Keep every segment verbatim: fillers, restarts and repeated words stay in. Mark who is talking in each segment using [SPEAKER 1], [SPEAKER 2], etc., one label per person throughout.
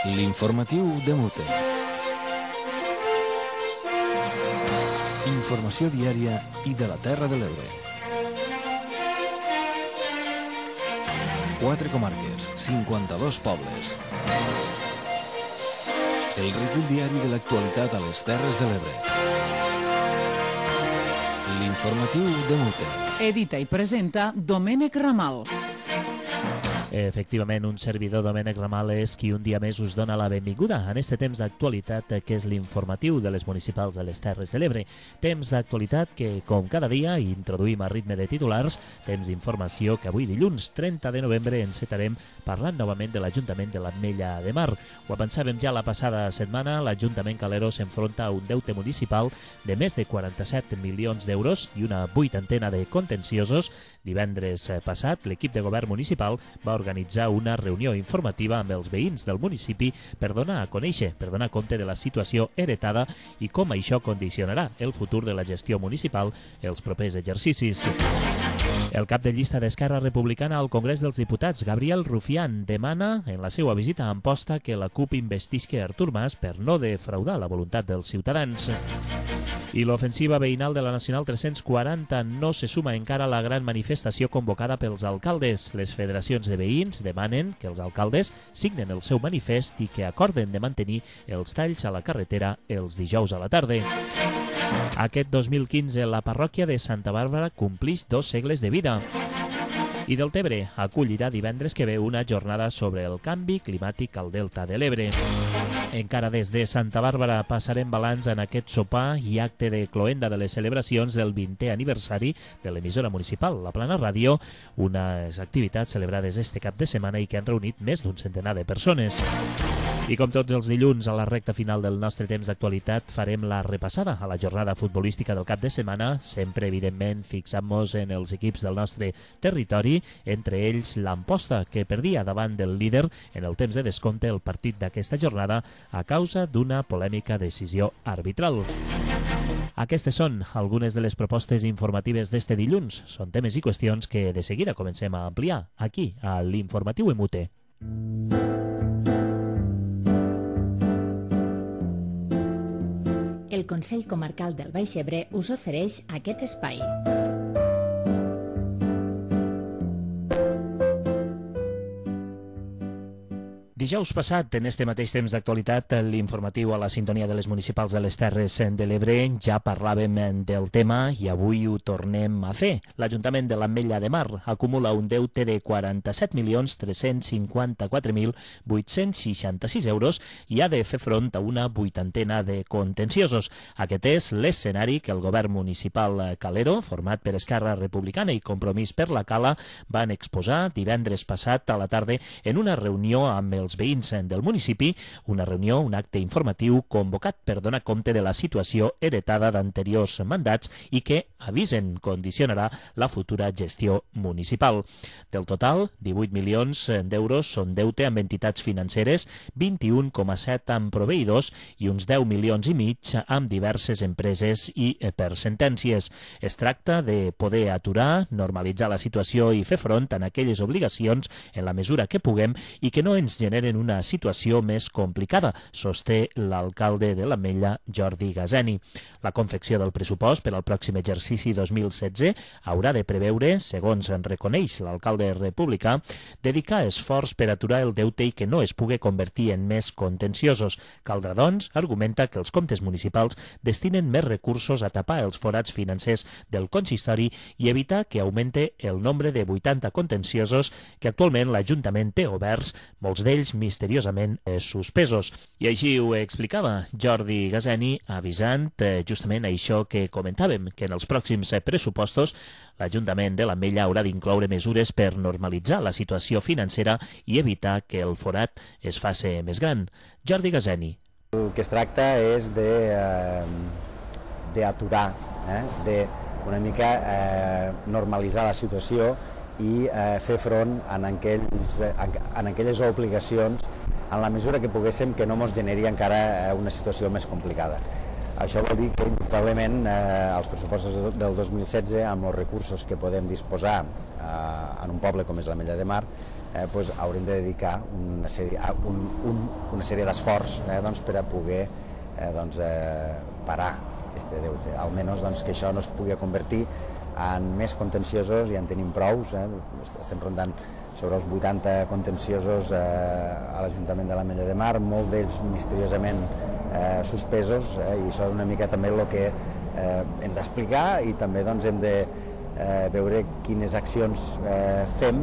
[SPEAKER 1] L'informatiu de Mute. Informació diària i de la Terra de l'Ebre. Quatre comarques, cinquanta-dos pobles. El recull diari de l'actualitat a les Terres de l'Ebre. L'informatiu de Mute.
[SPEAKER 2] Edita i presenta Domènec Ramal.
[SPEAKER 3] Efectivament, un servidor, Domènec Ramal, és qui un dia més us dona la benvinguda en este temps d'actualitat que és l'informatiu de les municipals de les Terres de l'Ebre. Temps d'actualitat que, com cada dia, introduïm a ritme de titulars, temps d'informació que avui dilluns trenta de novembre encetarem parlant novament de l'Ajuntament de l'Ametlla de Mar. Ho avançàvem ja la passada setmana, l'Ajuntament Calero s'enfronta a un deute municipal de més de quaranta-set milions d'euros i una vuitantena de contenciosos. Divendres passat, l'equip de govern municipal va organitzar una reunió informativa amb els veïns del municipi per donar a conèixer, per donar compte de la situació heretada i com això condicionarà el futur de la gestió municipal els propers exercicis. El cap de llista d'Esquerra Republicana al Congrés dels Diputats, Gabriel Rufián, demana en la seva visita a Amposta que la CUP investisca Artur Mas per no defraudar la voluntat dels ciutadans. I l'ofensiva veïnal de la Nacional tres-cents quaranta no se suma encara a la gran manifestació convocada pels alcaldes. Les federacions de veïns demanen que els alcaldes signen el seu manifest i que acorden de mantenir els talls a la carretera els dijous a la tarda. Aquest dos mil quinze la parròquia de Santa Bàrbara complix dos segles de vida. I Deltebre acollirà divendres que ve una jornada sobre el canvi climàtic al Delta de l'Ebre. Encara des de Santa Bàrbara passarem balanç en aquest sopar i acte de cloenda de les celebracions del vintè aniversari de l'emissora municipal, la Plana Ràdio, unes activitats celebrades este cap de setmana i que han reunit més d'un centenar de persones. I com tots els dilluns, a la recta final del nostre temps d'actualitat, farem la repassada a la jornada futbolística del cap de setmana, sempre, evidentment, fixant-nos en els equips del nostre territori, entre ells l'Amposta, que perdia davant del líder en el temps de descompte el partit d'aquesta jornada a causa d'una polèmica decisió arbitral. Aquestes són algunes de les propostes informatives d'este dilluns. Són temes i qüestions que de seguida comencem a ampliar aquí, a l'Informatiu Emute.
[SPEAKER 4] El Consell Comarcal del Baix Ebre us ofereix aquest espai.
[SPEAKER 3] Dijous passat, en este mateix temps d'actualitat, l'informatiu a la sintonia de les municipals de les Terres de l'Ebre, ja parlàvem del tema i avui ho tornem a fer. L'Ajuntament de l'Ametlla de Mar acumula un deute de quaranta-set milions tres-cents cinquanta-quatre mil vuit-cents seixanta-sis euros i ha de fer front a una vuitantena de contenciosos. Aquest és l'escenari que el govern municipal calero, format per Esquerra Republicana i Compromís per la Cala, van exposar divendres passat a la tarda en una reunió amb els veïns del municipi, una reunió, un acte informatiu convocat per donar compte de la situació heretada d'anteriors mandats i que, avisen, condicionarà la futura gestió municipal. Del total, divuit milions d'euros són deute amb entitats financeres, vint-i-un coma set amb proveïdors i uns deu milions i mig amb diverses empreses i per sentències. Es tracta de poder aturar, normalitzar la situació i fer front a aquelles obligacions en la mesura que puguem i que no ens generen en una situació més complicada, sosté l'alcalde de l'Ametlla, Jordi Gazeni. La confecció del pressupost per al pròxim exercici dos mil setze haurà de preveure, segons en reconeix l'alcalde republicà, dedicar esforç per aturar el deute i que no es pugui convertir en més contenciosos. Caldrà, doncs, argumenta que els comptes municipals destinen més recursos a tapar els forats financers del consistori i evitar que augmente el nombre de vuitanta contenciosos que actualment l'Ajuntament té oberts, molts d'ells misteriosament eh, suspesos. I així ho explicava Jordi Gazeni, avisant eh, justament això que comentàvem, que en els pròxims eh, pressupostos l'Ajuntament de l'Ametlla haurà d'incloure mesures per normalitzar la situació financera i evitar que el forat es faci més gran. Jordi Gazeni.
[SPEAKER 5] El que es tracta és de, eh, d'aturar, eh, de una mica eh, normalitzar la situació i eh, fer front en, aquells, en aquelles obligacions en la mesura que poguéssim que no ens generi encara una situació més complicada. Això vol dir que, indubtablement, eh, els pressupostos del dos mil setze, amb els recursos que podem disposar eh, en un poble com és l'Ametlla de Mar, eh, doncs haurem de dedicar una sèrie, un, un, una sèrie d'esforç eh, doncs, per a poder eh, doncs, eh, parar aquest deute. Almenys doncs, que això no es pugui convertir en més contenciosos, ja en tenim prous, eh? Estem rondant sobre els vuitanta contenciosos eh, a l'Ajuntament de l'Ametlla de Mar, molt d'ells misteriosament eh, suspesos, eh? I això és una mica també el que eh, hem d'explicar i també doncs, hem de eh, veure quines accions eh, fem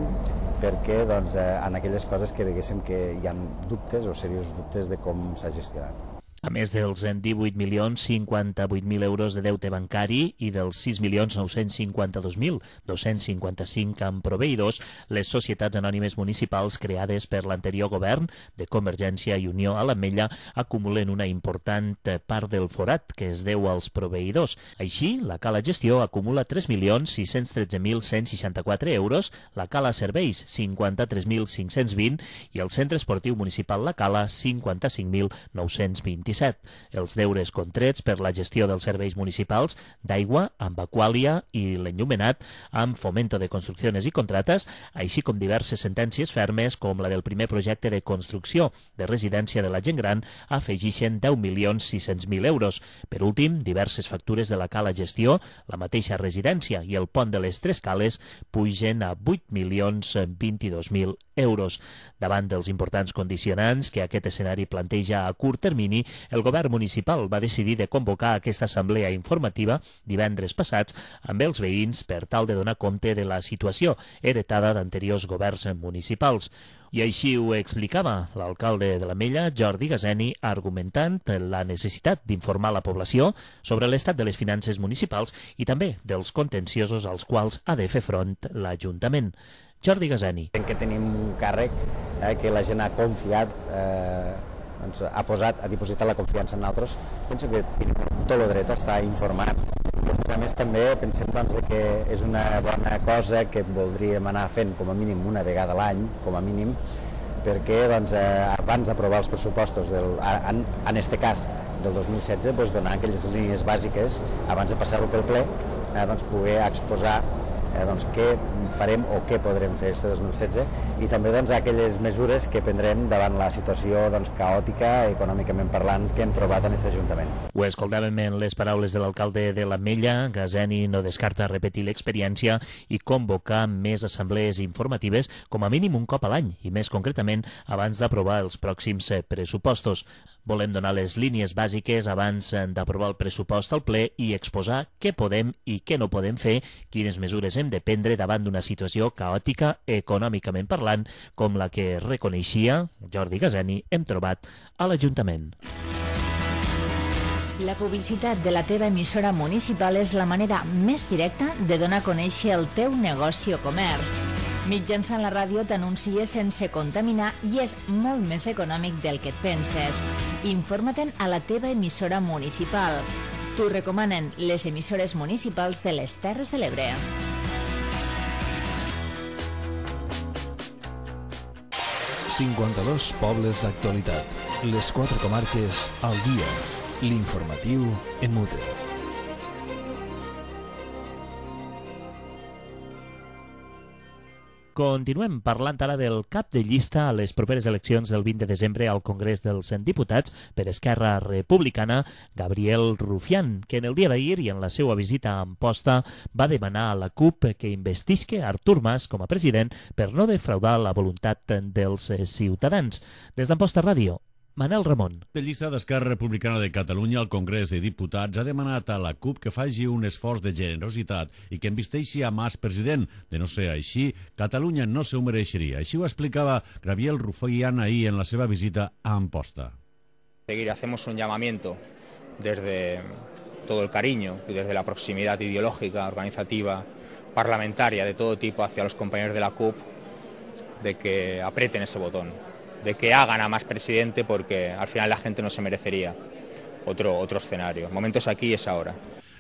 [SPEAKER 5] perquè doncs, eh, en aquelles coses que veguéssim que hi ha dubtes o seriosos dubtes de com s'ha gestionat.
[SPEAKER 3] A més dels divuit milions cinquanta-vuit mil euros de deute bancari i dels sis milions nou-cents cinquanta-dos mil dos-cents cinquanta-cinc amb proveïdors, les societats anònimes municipals creades per l'anterior govern de Convergència i Unió a l'Ametlla acumulen una important part del forat que es deu als proveïdors. Així, la Cala Gestió acumula tres milions sis-cents tretze mil cent seixanta-quatre euros, la Cala Serveis cinquanta-tres mil cinc-cents vint i el Centre Esportiu Municipal La Cala cinquanta-cinc mil nou-cents vint. Els deures contrets per la gestió dels serveis municipals d'aigua, amb Aquàlia i l'enllumenat, amb Fomento de Construcciones i Contrates, així com diverses sentències fermes com la del primer projecte de construcció de residència de la gent gran, afegixen deu milions sis-cents mil euros. Per últim, diverses factures de la Cala Gestió, la mateixa residència i el pont de les Tres Cales pugen a vuit milions vint-i-dos mil euros. Davant dels importants condicionants que aquest escenari planteja a curt termini, el govern municipal va decidir de convocar aquesta assemblea informativa divendres passats amb els veïns per tal de donar compte de la situació heretada d'anteriors governs municipals. I així ho explicava l'alcalde de l'Ametlla, Jordi Gazeni, argumentant la necessitat d'informar la població sobre l'estat de les finances municipals i també dels contenciosos als quals ha de fer front l'Ajuntament. Jordi Gazeni.
[SPEAKER 5] Que tenim un càrrec eh, que la gent ha confiat, eh, doncs, ha posat, ha dipositat la confiança en nosaltres. Penso que tenim tot el dret a estar informats. I a més també pensem doncs, que és una bona cosa que voldríem anar fent com a mínim una vegada a l'any, com a mínim, perquè doncs, eh, abans d'aprovar els pressupostos, del, en, en este cas del dos mil setze, doncs, donar aquelles línies bàsiques abans de passar-ho pel ple, eh, doncs, poder exposar eh, doncs, què farem o què podrem fer este dos mil setze i també doncs, aquelles mesures que prendrem davant la situació doncs, caòtica, econòmicament parlant, que hem trobat en aquest Ajuntament.
[SPEAKER 3] Ho escoltàvem en les paraules de l'alcalde de l'Ametlla. Gazeni no descarta repetir l'experiència i convocar més assemblees informatives com a mínim un cop a l'any i més concretament abans d'aprovar els pròxims pressupostos. Volem donar les línies bàsiques abans d'aprovar el pressupost al ple i exposar què podem i què no podem fer, quines mesures hem de prendre davant d'una situació caòtica econòmicament parlant, com la que reconeixia Jordi Gazeni hem trobat a l'Ajuntament.
[SPEAKER 4] La publicitat de la teva emissora municipal és la manera més directa de donar a conèixer el teu negoci o comerç. Mitjançant la ràdio t'anuncies sense contaminar i és molt més econòmic del que et penses. Informa-te'n a la teva emissora municipal. T'ho recomanen les emissores municipals de les Terres de l'Ebre.
[SPEAKER 1] cinquanta-dos pobles d'actualitat. Les quatre comarques al dia. L'informatiu en mute.
[SPEAKER 3] Continuem parlant ara del cap de llista a les properes eleccions del vint de desembre al Congrés dels Diputats per Esquerra Republicana, Gabriel Rufián, que en el dia d'ahir i en la seva visita a Amposta va demanar a la CUP que investisque Artur Mas com a president per no defraudar la voluntat dels ciutadans. Des d'Amposta Ràdio, Manel Ramon.
[SPEAKER 6] La llista d'Esquerra Republicana de Catalunya al Congrés de Diputats ha demanat a la CUP que faci un esforç de generositat i que investeixi a Mas president. De no ser així, Catalunya no se ho mereixeria. Així ho explicava Gabriel Rufián ahir en la seva visita a Amposta.
[SPEAKER 7] Seguir, hacemos un llamamiento desde todo el cariño y desde la proximidad ideológica, organizativa, parlamentaria de todo tipo hacia los compañeros de la CUP de que aprieten ese botón, de que hagan a Mas presidente, porque al final la gente no se merecería otro, otro escenario. El momento es aquí y es ahora.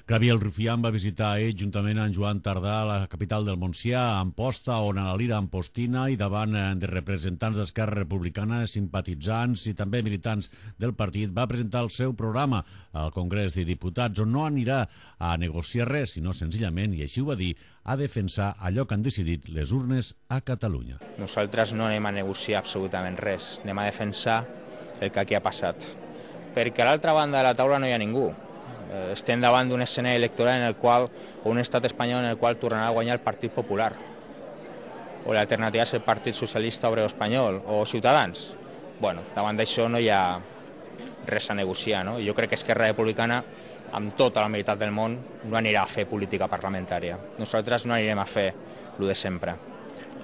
[SPEAKER 6] Gabriel Rufián va visitar ell juntament amb Joan Tardà la capital del Montsià, a Amposta, on a la Lira Ampostina i davant de representants d'Esquerra Republicana, simpatitzants i també militants del partit, va presentar el seu programa al Congrés de Diputats, on no anirà a negociar res, sinó senzillament, i així ho va dir, a defensar allò que han decidit les urnes a Catalunya.
[SPEAKER 7] Nosaltres no anem a negociar absolutament res, anem a defensar el que aquí ha passat. Perquè a l'altra banda de la taula no hi ha ningú. Estem davant d'un escenari electoral en el qual, o un estat espanyol en el qual tornarà a guanyar el Partit Popular. O l'alternativa és el Partit Socialista Obrero Espanyol, o Ciutadans. Bueno, davant d'això no hi ha res a negociar, no? Jo crec que Esquerra Republicana, amb tota la meitat del món, no anirà a fer política parlamentària. Nosaltres no anirem a fer el de sempre.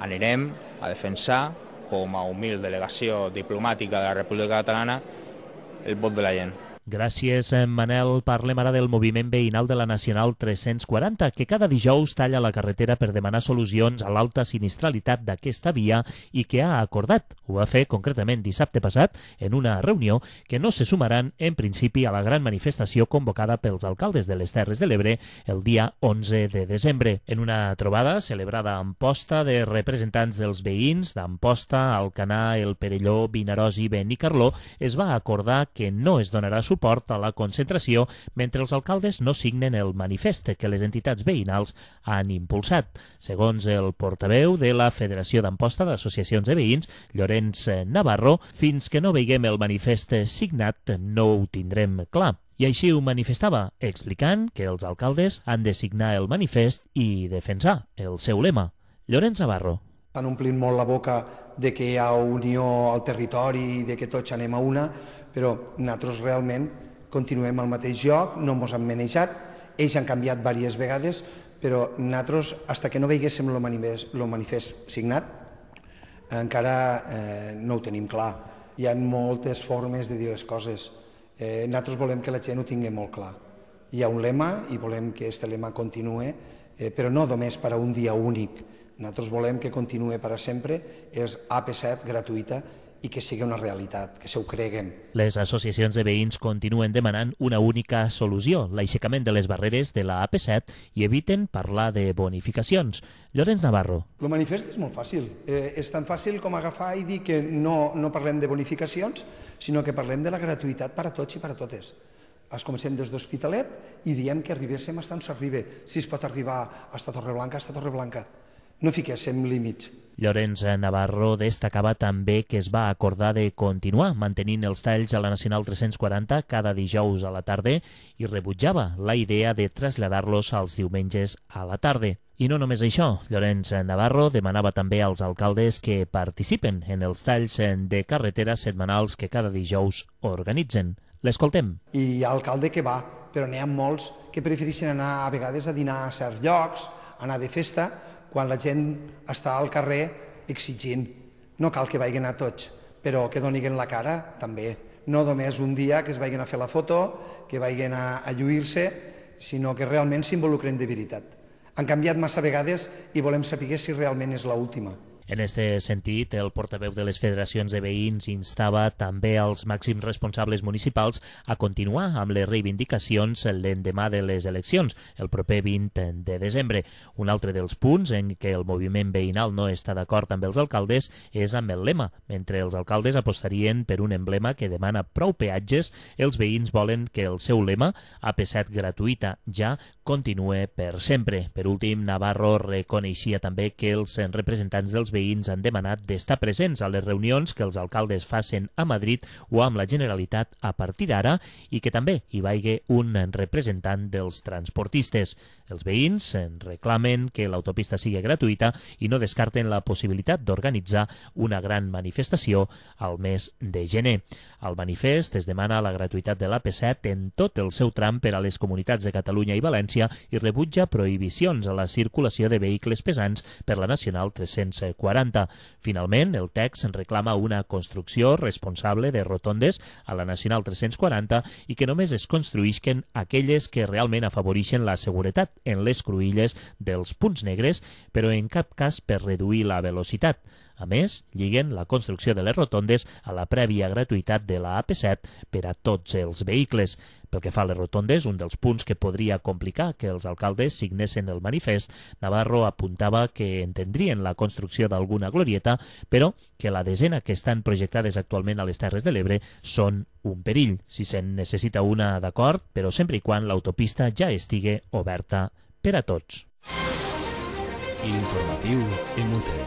[SPEAKER 7] Anirem a defensar, com a humil delegació diplomàtica de la República Catalana, el vot de la gent.
[SPEAKER 3] Gràcies, Manel. Parlem ara del moviment veïnal de la Nacional tres-cents quaranta, que cada dijous talla la carretera per demanar solucions a l'alta sinistralitat d'aquesta via i que ha acordat. Ho va fer concretament dissabte passat en una reunió que no se sumaran en principi a la gran manifestació convocada pels alcaldes de les Terres de l'Ebre el dia onze de desembre. En una trobada celebrada a Amposta de representants dels veïns d'Amposta, Alcanar, El Perelló, Vinaròs i Benicarló, es va acordar que no es donarà suport suport a la concentració mentre els alcaldes no signen el manifest que les entitats veïnals han impulsat. Segons el portaveu de la Federació d'Amposta d'Associacions de Veïns, Llorenç Navarro, fins que no veiguem el manifest signat no ho tindrem clar. I així ho manifestava, explicant que els alcaldes han de signar el manifest i defensar el seu lema. Llorenç Navarro.
[SPEAKER 8] Estan omplint molt la boca de que hi ha unió al territori i de que tots anem a una, però nosaltres realment continuem al mateix lloc, no ens han manejat, ells han canviat diverses vegades, però nosaltres, fins que no veiéssim el manifest, el manifest signat, encara eh, no ho tenim clar. Hi ha moltes formes de dir les coses. Eh, nosaltres volem que la gent ho tingui molt clar. Hi ha un lema i volem que aquest lema continuï, eh, però no només per a un dia únic. Nosaltres volem que continuï per a sempre, és A P set gratuïta, i que sigui una realitat, que se ho creguen.
[SPEAKER 3] Les associacions de veïns continuen demanant una única solució, l'aixecament de les barreres de la A P set, i eviten parlar de bonificacions. Llorenç Navarro.
[SPEAKER 8] El manifest és molt fàcil. Eh, és tan fàcil com agafar i dir que no, no parlem de bonificacions, sinó que parlem de la gratuïtat per a tots i per a totes. Es comencem des d'Hospitalet i diem que arribéssim fins on s'arriba. Si es pot arribar a Torreblanca, a Torreblanca. No fiquéssim límits.
[SPEAKER 3] Llorenç Navarro destacava també que es va acordar de continuar mantenint els talls a la Nacional tres-cents quaranta cada dijous a la tarda i rebutjava la idea de traslladar-los als diumenges a la tarda. I no només això, Llorenç Navarro demanava també als alcaldes que participen en els talls de carretera setmanals que cada dijous organitzen. L'escoltem.
[SPEAKER 8] I hi ha alcalde que va, però n'hi ha molts que prefereixen anar a vegades a dinar a certs llocs, anar de festa, quan la gent està al carrer exigint. No cal que vagin a tots, però que donin la cara també. No només un dia que es vagin a fer la foto, que vagin a, a lluir-se, sinó que realment s'involucren de veritat. Han canviat massa vegades i volem saber si realment és l'última.
[SPEAKER 3] En aquest sentit, el portaveu de les federacions de veïns instava també als màxims responsables municipals a continuar amb les reivindicacions l'endemà de les eleccions, el proper vint de desembre. Un altre dels punts en què el moviment veïnal no està d'acord amb els alcaldes és amb el lema. Mentre els alcaldes apostarien per un emblema que demana prou peatges, els veïns volen que el seu lema, A P set gratuïta ja, continue per sempre. Per últim, Navarro reconeixia també que els representants dels veïns han demanat d'estar presents a les reunions que els alcaldes facin a Madrid o amb la Generalitat a partir d'ara i que també hi vagi un representant dels transportistes. Els veïns reclamen que l'autopista sigui gratuïta i no descarten la possibilitat d'organitzar una gran manifestació al mes de gener. Al manifest es demana la gratuïtat de l'A P set en tot el seu tram per a les comunitats de Catalunya i València i rebutja prohibicions a la circulació de vehicles pesants per la Nacional tres-cents quaranta. Finalment, el text reclama una construcció responsable de rotondes a la Nacional tres-cents quaranta i que només es construïsquen aquelles que realment afavoreixen la seguretat en les cruïlles dels punts negres, però en cap cas per reduir la velocitat. A més, lliguen la construcció de les rotondes a la prèvia gratuïtat de la A P set per a tots els vehicles. Pel que fa a les rotondes, un dels punts que podria complicar que els alcaldes signessin el manifest, Navarro apuntava que entendrien la construcció d'alguna glorieta, però que la desena que estan projectades actualment a les Terres de l'Ebre són un perill. Si se'n necessita una, d'acord, però sempre i quan l'autopista ja estigui oberta per a tots.
[SPEAKER 1] L'informatiu en U T.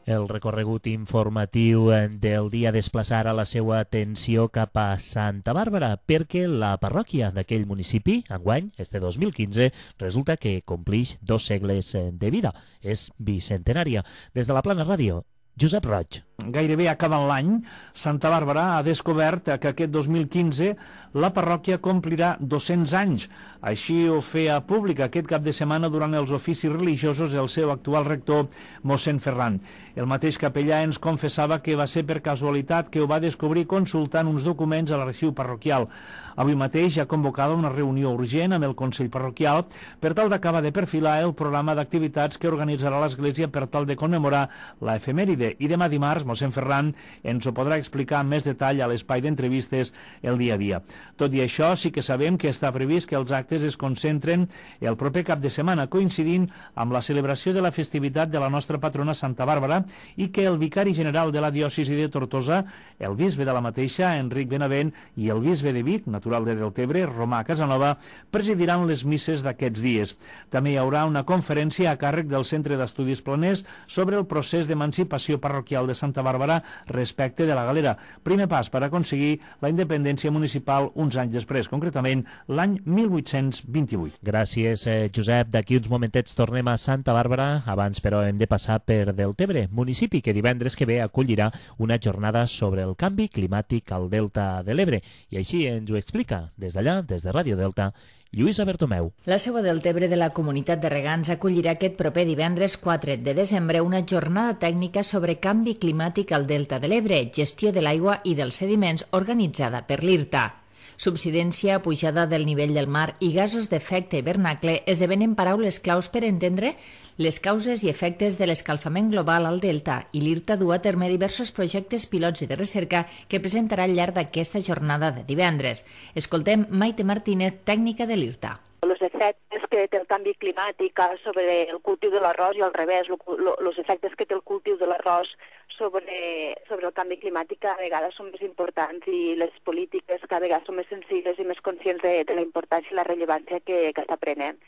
[SPEAKER 3] El recorregut informatiu del dia desplaçarà la seva atenció cap a Santa Bàrbara perquè la parròquia d'aquell municipi, enguany, este dos mil quinze, resulta que complix dos segles de vida. És bicentenària. Des de la Plana Ràdio, Josep Roig.
[SPEAKER 9] Gairebé acabant l'any, Santa Bàrbara ha descobert que aquest dos mil quinze la parròquia complirà dos-cents anys. Així ho feia públic aquest cap de setmana durant els oficis religiosos el seu actual rector, mossèn Ferran. El mateix capellà ens confessava que va ser per casualitat que ho va descobrir consultant uns documents a l'arxiu parroquial. Avui mateix ha convocada una reunió urgent amb el Consell Parroquial per tal d'acabar de perfilar el programa d'activitats que organitzarà l'Església per tal de commemorar la efemèride. I demà dimarts, mossèn Ferran ens ho podrà explicar amb més detall a l'espai d'entrevistes el dia a dia. Tot i això, sí que sabem que està previst que els actes es concentren el proper cap de setmana, coincidint amb la celebració de la festivitat de la nostra patrona Santa Bàrbara i que el vicari general de la diòcesi de Tortosa, el bisbe de la mateixa, Enric Benavent, i el bisbe de Vic, natural de Deltebre, Romà Casanova, presidiran les misses d'aquests dies. També hi haurà una conferència a càrrec del Centre d'Estudis Planers sobre el procés d'emancipació parroquial de Santa Bàrbara respecte de la Galera. Primer pas per aconseguir la independència municipal uns anys després, concretament l'any mil vuit-cents vint-i-vuit.
[SPEAKER 3] Gràcies, eh, Josep. D'aquí uns momentets tornem a Santa Bàrbara. Abans, però, hem de passar per Deltebre, municipi que divendres que ve acollirà una jornada sobre el canvi climàtic al Delta de l'Ebre. I així ens ho explica des d'allà, des de Ràdio Delta, Lluïsa Bertomeu.
[SPEAKER 4] La seu a Deltebre de la Comunitat de Regants acollirà aquest proper divendres quatre de desembre una jornada tècnica sobre canvi climàtic al Delta de l'Ebre, gestió de l'aigua i dels sediments organitzada per l'I R T A. Subsidència, pujada del nivell del mar i gasos d'efecte hivernacle esdevenen paraules claus per entendre les causes i efectes de l'escalfament global al Delta, i l'I R T A du a terme diversos projectes pilots i de recerca que presentarà al llarg d'aquesta jornada de divendres. Escoltem Maite Martínez, tècnica de l'I R T A.
[SPEAKER 10] Els efectes que té el canvi climàtic sobre el cultiu de l'arròs i al revés, els efectes que té el cultiu de l'arròs sobre, sobre el canvi climàtic cada vegada són més importants i les polítiques cada vegada són més sensibles i més conscients de, de la importància i la rellevància que, que està prenent.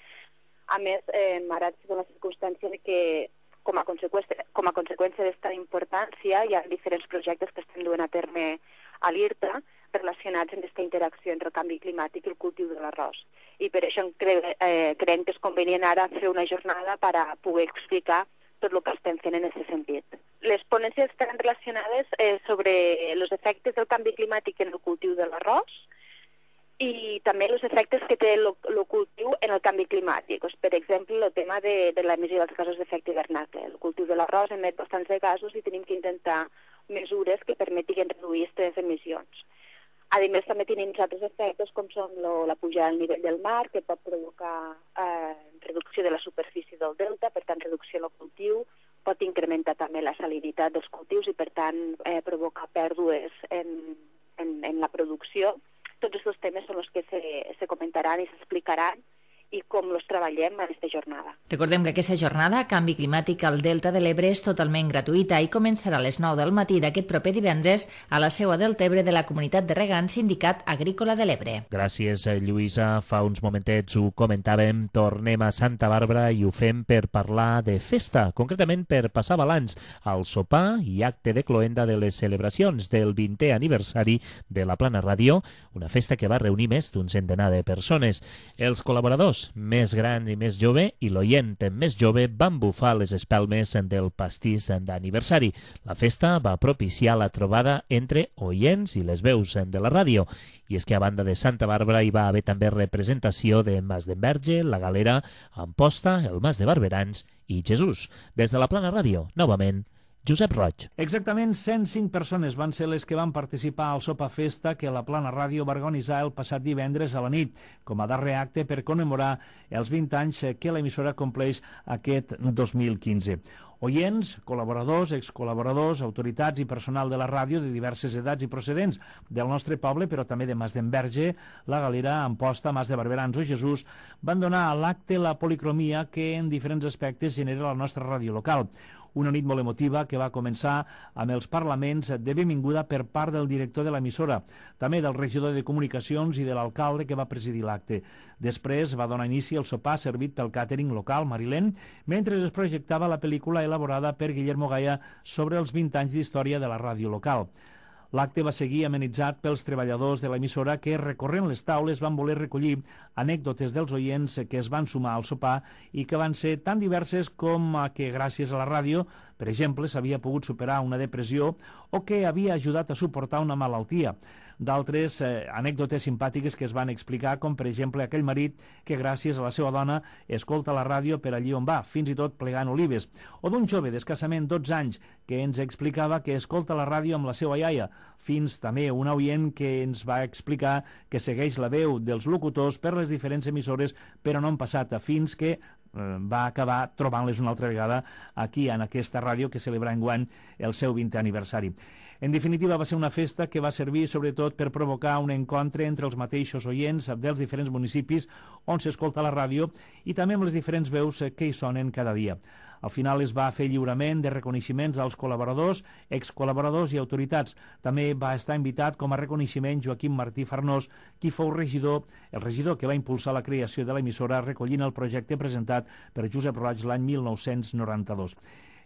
[SPEAKER 10] A més, eh, ara ha la circumstància de que com a conseqüència, com a conseqüència d'esta importància hi ha diferents projectes que estan duent a terme a l'I R T A relacionats amb aquesta interacció entre el canvi climàtic i el cultiu de l'arròs. I per això cre eh, creiem que és convenient ara fer una jornada per a poder explicar tot el que estem fent en aquest sentit. Les ponències estan relacionades eh, sobre els efectes del canvi climàtic en el cultiu de l'arròs i també els efectes que té el cultiu en el canvi climàtic. Pues, per exemple, el tema de, de l'emissió dels gasos d'efecte hivernacle. El cultiu de l'arròs emet bastants de gasos i tenim que intentar mesures que permetin reduir aquestes emissions. A més, també tenim altres efectes com són lo, la pujada del nivell del mar, que pot provocar eh, reducció de la superfície del delta, per tant, reducció del cultiu, pot incrementar també la salinitat dels cultius i, per tant, eh, provocar pèrdues en, en, en la producció. Tots aquests temes són els que se, se comentaran i s'explicaran i com els treballem en aquesta jornada.
[SPEAKER 4] Recordem que aquesta jornada, Canvi Climàtic al Delta de l'Ebre, és totalment gratuïta i començarà a les nou del matí d'aquest proper divendres a la seu a Deltebre de la Comunitat de Regants Sindicat Agrícola de l'Ebre.
[SPEAKER 3] Gràcies, Lluïsa. Fa uns momentets ho comentàvem, tornem a Santa Bàrbara i ho fem per parlar de festa, concretament per passar balanç al sopar i acte de cloenda de les celebracions del vintè aniversari de la Plana Ràdio, una festa que va reunir més d'un centenar de persones. Els col·laboradors més gran i més jove i l'oient més jove van bufar les espelmes del pastís d'aniversari. La festa va propiciar la trobada entre oients i les veus de la ràdio. I és que a banda de Santa Bàrbara hi va haver també representació de Mas d'Enverge, la Galera, Amposta, el Mas de Barberans i Jesús. Des de la Plana Ràdio, novament, Josep Roig.
[SPEAKER 9] Exactament cent cinc persones van ser les que van participar al Sopa Festa que la Plana Ràdio va organitzar el passat divendres a la nit, com a darrer acte per commemorar els vint anys que l'emissora compleix aquest dos mil quinze. Oients, col·laboradors, excol·laboradors, autoritats i personal de la ràdio de diverses edats i procedents del nostre poble, però també de Mas d'Enverge, La Galera, Amposta, Mas de Barberans o Jesús, van donar a l'acte la policromia que en diferents aspectes genera la nostra ràdio local. Una nit molt emotiva que va començar amb els parlaments de benvinguda per part del director de l'emissora, també del regidor de Comunicacions i de l'alcalde que va presidir l'acte. Després va donar inici al sopar servit pel càtering local marilent, mentre es projectava la pel·lícula elaborada per Guillermo Gaya sobre els vint anys d'història de la ràdio local. L'acte va seguir amenitzat pels treballadors de l'emissora que, recorrent les taules, van voler recollir anècdotes dels oients que es van sumar al sopar i que van ser tan diverses com que, gràcies a la ràdio, per exemple, s'havia pogut superar una depressió o que havia ajudat a suportar una malaltia. D'altres eh, anècdotes simpàtiques que es van explicar, com per exemple aquell marit que gràcies a la seva dona escolta la ràdio per allí on va, fins i tot plegant olives, o d'un jove d'escassament dotze anys que ens explicava que escolta la ràdio amb la seva iaia, fins també un oient que ens va explicar que segueix la veu dels locutors per les diferents emissores però no han passat, fins que va acabar trobant-les una altra vegada aquí en aquesta ràdio que celebra enguany el seu vintè aniversari. En definitiva, va ser una festa que va servir sobretot per provocar un encontre entre els mateixos oients dels diferents municipis on s'escolta la ràdio i també amb les diferents veus que hi sonen cada dia. Al final es va fer lliurament de reconeixements als col·laboradors, excol·laboradors i autoritats. També va estar invitat com a reconeixement Joaquim Martí Farnós, qui fou regidor, el regidor que va impulsar la creació de l'emissora recollint el projecte presentat per Josep Roig l'any mil nou-cents noranta-dos.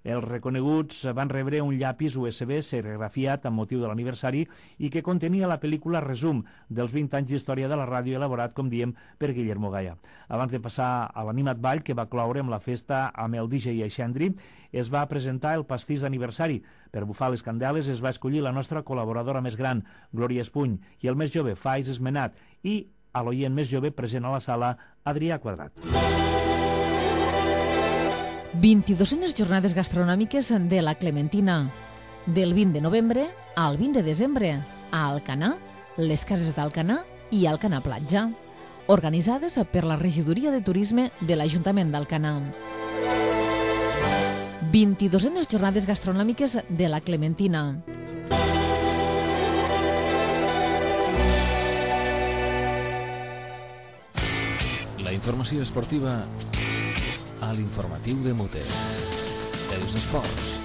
[SPEAKER 9] Els reconeguts van rebre un llapis U S B serigrafiat amb motiu de l'aniversari i que contenia la pel·lícula resum dels vint anys d'història de la ràdio elaborat, com diem, per Guillermo Gaya. Abans de passar a l'animat ball que va cloure amb la festa amb el D J Aixendri, es va presentar el pastís d'aniversari. Per bufar les candeles es va escollir la nostra col·laboradora més gran, Glòria Espuny, i el més jove, Faiz Esmenat, i a l'oient més jove present a la sala, Adrià Quadrat.
[SPEAKER 11] vint-i-duenes jornades gastronòmiques de la Clementina. Del vint de novembre al vint de desembre, a Alcanar, les cases d'Alcanar i Alcanar Platja, organitzades per la Regidoria de Turisme de l'Ajuntament d'Alcanar. vint-i-duenes jornades gastronòmiques de la Clementina.
[SPEAKER 1] La informació esportiva a l'informatiu de Mute. Els esports.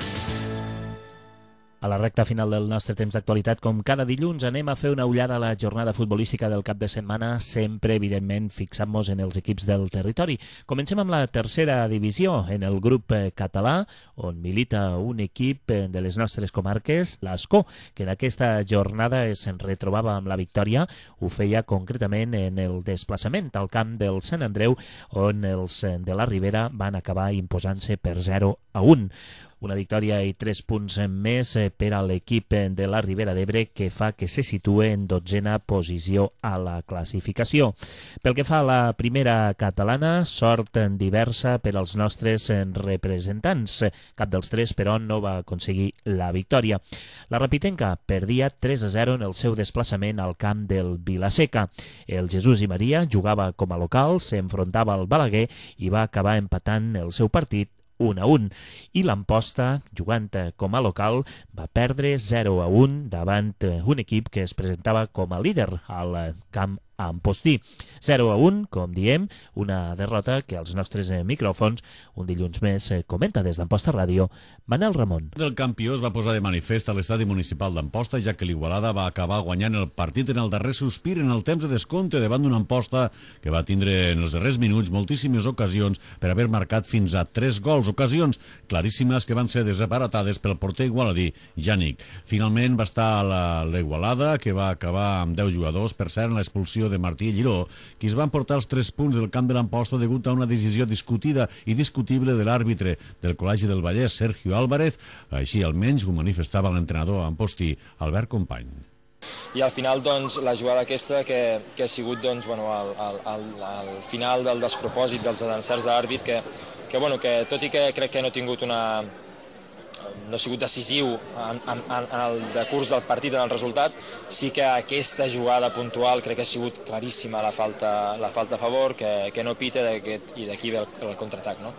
[SPEAKER 3] A la recta final del nostre temps d'actualitat, com cada dilluns, anem a fer una ullada a la jornada futbolística del cap de setmana, sempre, evidentment, fixant-nos en els equips del territori. Comencem amb la tercera divisió, en el grup català, on milita un equip de les nostres comarques, l'Ascó, que en aquesta jornada es retrobava amb la victòria. Ho feia concretament en el desplaçament al camp del Sant Andreu, on els de la Ribera van acabar imposant-se per zero a un. Una victòria i tres punts més per a l'equip de la Ribera d'Ebre, que fa que se situe en dotzena posició a la classificació. Pel que fa a la primera catalana, sort diversa per als nostres representants. Cap dels tres, però, no va aconseguir la victòria. La Rapitenca perdia tres a zero en el seu desplaçament al camp del Vilaseca. El Jesús i Maria jugava com a local, s'enfrontava al Balaguer i va acabar empatant el seu partit un a un, i l'Amposta, jugant com a local, va perdre zero a un davant un equip que es presentava com a líder al camp Ampostí. zero a un, com diem, una derrota que als nostres micròfons, un dilluns més, comenta des d'Amposta Ràdio, Manel Ramon.
[SPEAKER 6] El campió es va posar de manifest a l'estadi municipal d'Amposta, ja que l'Igualada va acabar guanyant el partit en el darrer sospir en el temps de descompte davant d'una Amposta que va tindre en els darrers minuts moltíssimes ocasions per haver marcat fins a tres gols, ocasions claríssimes que van ser desaparatades pel porter igualadí Jànic. Finalment va estar l'Igualada, que va acabar amb deu jugadors, per cert, en l'expulsió de Martí Lliró, qui es van portar els tres punts del camp de l'Amposta degut a una decisió discutida i discutible de l'àrbitre del Col·legi del Vallès, Sergio Álvarez. Així almenys ho manifestava l'entrenador ampostí, Albert Company.
[SPEAKER 12] I al final, doncs, la jugada aquesta que, que ha sigut, doncs, bueno, al, al, al final del despropòsit dels encerts de l'àrbit, que, que, bueno, que tot i que crec que no ha tingut una... no ha sigut decisiu en, en, en el decurs del partit, en el resultat, sí que aquesta jugada puntual crec que ha sigut claríssima la falta, la falta a favor, que, que no pita i d'aquí ve el, el contraatac, no?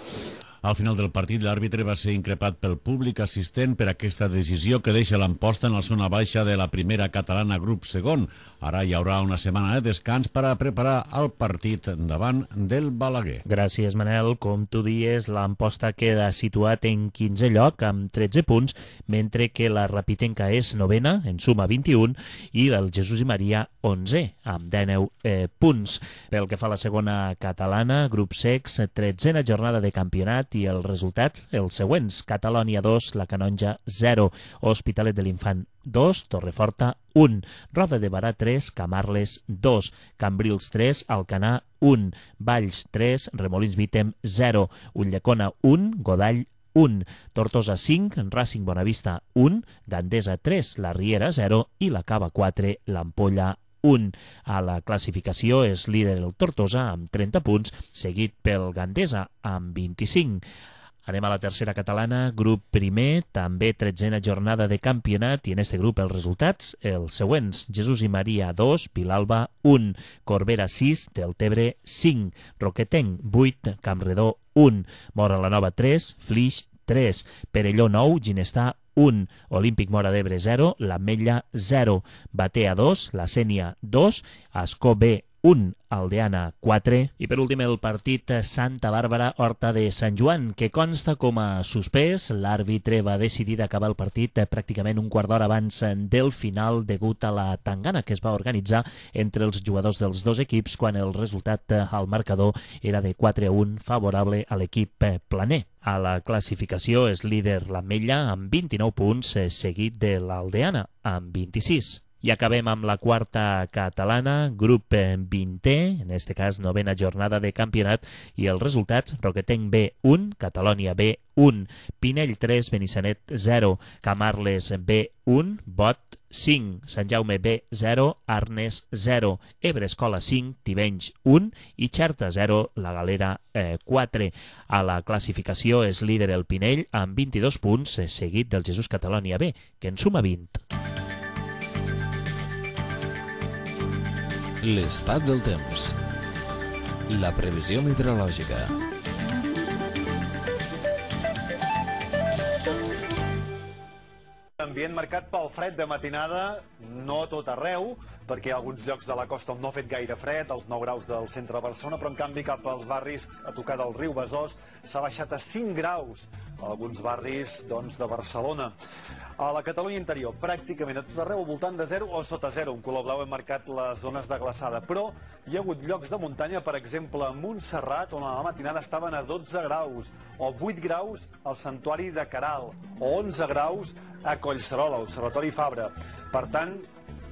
[SPEAKER 6] Al final del partit, l'àrbitre va ser increpat pel públic assistent per aquesta decisió que deixa l'Amposta en la zona baixa de la primera catalana grup segon. Ara hi haurà una setmana de descans per a preparar el partit davant del Balaguer.
[SPEAKER 3] Gràcies, Manel. Com tu dies, l'Amposta queda situat en quinzè lloc amb tretze punts, mentre que la Rapitenca és novena, en suma vint-i-un, i el Jesús i Maria onze, amb dinou eh, punts. Pel que fa a la segona catalana, grup secs, tretzena jornada de campionat i els resultats, els següents: Catalònia dos, la Canonja zero, Hospitalet de l'Infant dos, Torreforta un, Roda de Barà tres, Camarles dos, Cambrils tres, Alcanar un, Valls tres, Remolins Vítem zero, Ulldecona un, Godall un, Tortosa cinc, Racing Bonavista un, Gandesa tres, La Riera zero i la Cava quatre, l'Ampolla un. A la classificació és líder el Tortosa amb trenta punts, seguit pel Gandesa amb vint-i-cinc. Anem a la tercera catalana, grup primer, també tretzena jornada de campionat, i en este grup els resultats, els següents: Jesús i Maria dos, Vilalba un, Corbera sis, Deltebre cinc, Roquetenc vuit, Campredó un, Mora la Nova tres, Flix tres, Perelló nou, Ginestar un, Olímpic Mora d'Ebre zero, l'Ametlla zero, Batea dos, la Sénia dos, Ascó B un, Aldeana quatre, i per últim el partit Santa Bàrbara Horta de Sant Joan, que consta com a suspès. L'àrbitre va decidir d'acabar el partit pràcticament un quart d'hora abans del final degut a la tangana que es va organitzar entre els jugadors dels dos equips quan el resultat al marcador era de quatre a un favorable a l'equip planer. A la classificació és líder l'Ametlla amb vint-i-nou punts, seguit de l'Aldeana amb vint-i-sis. I acabem amb la quarta catalana, grup vintè, en este cas novena jornada de campionat, i els resultats: Roquetenc B un, Catalònia B un, Pinell tres, Benissanet zero, Camarles B un, Bot cinc, Sant Jaume B zero, Arnes zero, Ebre Escola cinc, Tivenys un i Xerta zero, la Galera eh, quatre. A la classificació és líder el Pinell amb vint-i-dos punts, seguit del Jesús Catalònia B, que en suma vint.
[SPEAKER 1] L'estat del temps. La previsió meteorològica.
[SPEAKER 13] Ambient marcat pel fred de matinada, no a tot arreu, perquè a alguns llocs de la costa no ha fet gaire fred, als nou graus del centre de Barcelona, però en canvi cap als barris a tocar del riu Besòs s'ha baixat a cinc graus, a alguns barris doncs, de Barcelona. A la Catalunya interior, pràcticament a tot arreu, al voltant de zero o sota zero. En color blau hem marcat les zones de glaçada, però hi ha hagut llocs de muntanya, per exemple, a Montserrat, on a la matinada estaven a dotze graus, o vuit graus al Santuari de Caral, o onze graus a Collserola, l'Observatori Fabra. Per tant,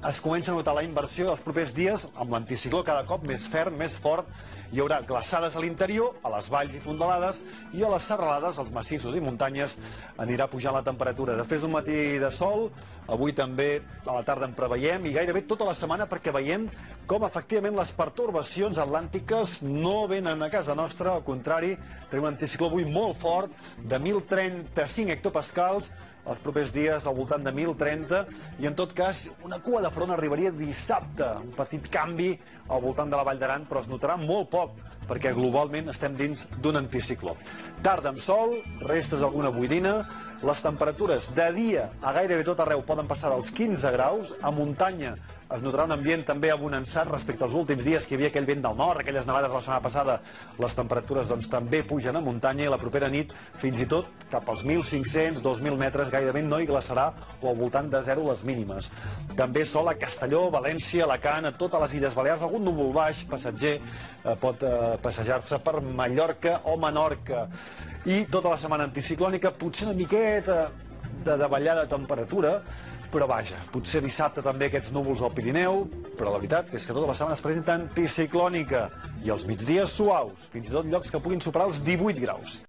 [SPEAKER 13] es comença a notar la inversió dels propers dies, amb l'anticicló cada cop més ferm, més fort. Hi haurà glaçades a l'interior, a les valls i fondalades, i a les serralades, als massissos i muntanyes, anirà pujant la temperatura. Després d'un matí de sol, avui també a la tarda en preveiem, i gairebé tota la setmana, perquè veiem com efectivament les pertorbacions atlàntiques no venen a casa nostra, al contrari, tenim un anticicló avui molt fort, de mil trenta-cinc hectopascals, els propers dies al voltant de mil trenta, i en tot cas una cua de front arribaria dissabte, un petit canvi al voltant de la Vall d'Aran, però es notarà molt poc, perquè globalment estem dins d'un anticicló. Tarda amb sol, restes alguna boirina, les temperatures de dia a gairebé tot arreu poden passar dels quinze graus, a muntanya es notarà un ambient també abonançat respecte als últims dies que hi havia aquell vent del nord, aquelles nevades la setmana passada, les temperatures doncs, també pugen a muntanya, i la propera nit fins i tot cap als mil cinc-cents a dos mil metres gairebé no hi glaçarà, o al voltant de zero les mínimes. També sol a Castelló, València, Alacant, a totes les Illes Balears, algun núvol baix, passatger, eh, pot eh, passejar-se per Mallorca o Menorca. I tota la setmana anticiclònica, potser una miqueta de davallada de temperatura, però vaja, potser dissabte també aquests núvols al Pirineu, però la veritat és que tota la setmana es presenta anticiclònica, i els migdies suaus, fins i tot llocs que puguin superar els divuit graus.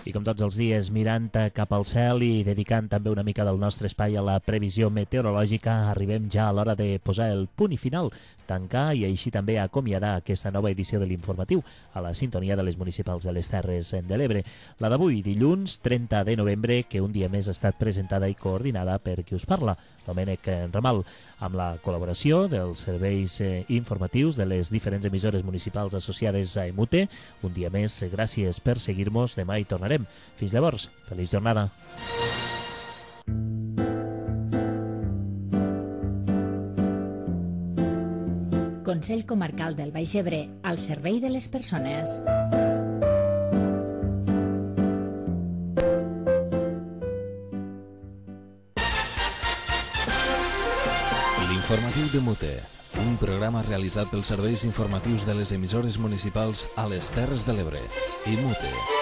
[SPEAKER 3] I com tots els dies, mirant cap al cel i dedicant també una mica del nostre espai a la previsió meteorològica, arribem ja a l'hora de posar el punt i final, tancar i així també acomiadar aquesta nova edició de l'informatiu a la sintonia de les municipals de les Terres de l'Ebre. La d'avui, dilluns trenta de novembre, que un dia més ha estat presentada i coordinada per qui us parla, Domènec Ramal, amb la col·laboració dels serveis eh, informatius de les diferents emissores municipals associades a Emute. Un dia més, gràcies per seguir-nos. Demà hi tornarem. Fins llavors, feliç jornada.
[SPEAKER 4] Consell Comarcal del Baix Ebre, al servei de les persones.
[SPEAKER 1] L'informatiu de Mute, un programa realitzat pels serveis informatius de les emissores municipals a les Terres de l'Ebre i Mute.